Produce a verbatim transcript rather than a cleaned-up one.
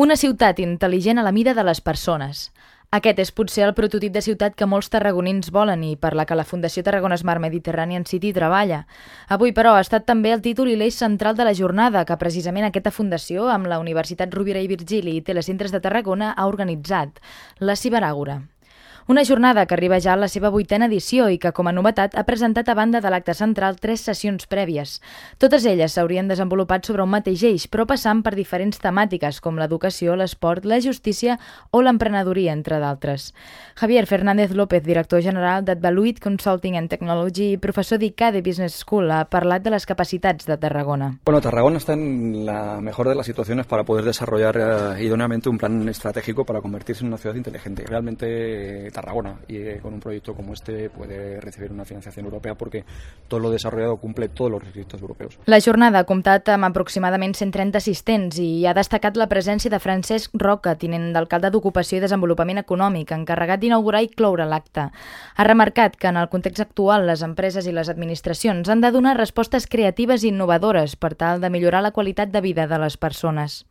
Una ciutat intel·ligent a la mida de les persones. Aquest és potser el prototip de ciutat que molts tarragonins volen i per la que la Fundació Tarragona Smart Mediterranean City treballa. Avui, però, ha estat també el títol i l'eix central de la jornada que precisament aquesta fundació, amb la Universitat Rovira i Virgili i Telecentres de Tarragona, ha organitzat, la Ciberàgora. Una jornada que arriba ja a la seva vuitena edició i que, com a novetat, ha presentat a banda de l'acte central tres sessions prèvies. Totes elles s'haurien desenvolupat sobre un mateix eix, però passant per diferents temàtiques com l'educació, l'esport, la justícia o l'emprenedoria, entre d'altres. Javier Fernández López, director general d'Advaluit Consulting and Technology i professor d'I C A D E Business School, ha parlat de les capacitats de Tarragona. Bueno, Tarragona está en la mejor de las situaciones para poder desarrollar eh, idóneamente un plan estratégico para convertirse en una ciudad inteligente. Realmente Tarragona, y eh, con un proyecto como este puede recibir una financiación europea porque todo lo desarrollado cumple todos los requisitos europeus. La jornada ha comptat amb aproximadament cent trenta assistents i ha destacat la presència de Francesc Roca, tinent d'alcalde d'Ocupació i Desenvolupament Econòmic, encarregat d'inaugurar i cloure l'acte. Ha remarcat que en el context actual les empreses i les administracions han de donar respostes creatives i innovadores per tal de millorar la qualitat de vida de les persones.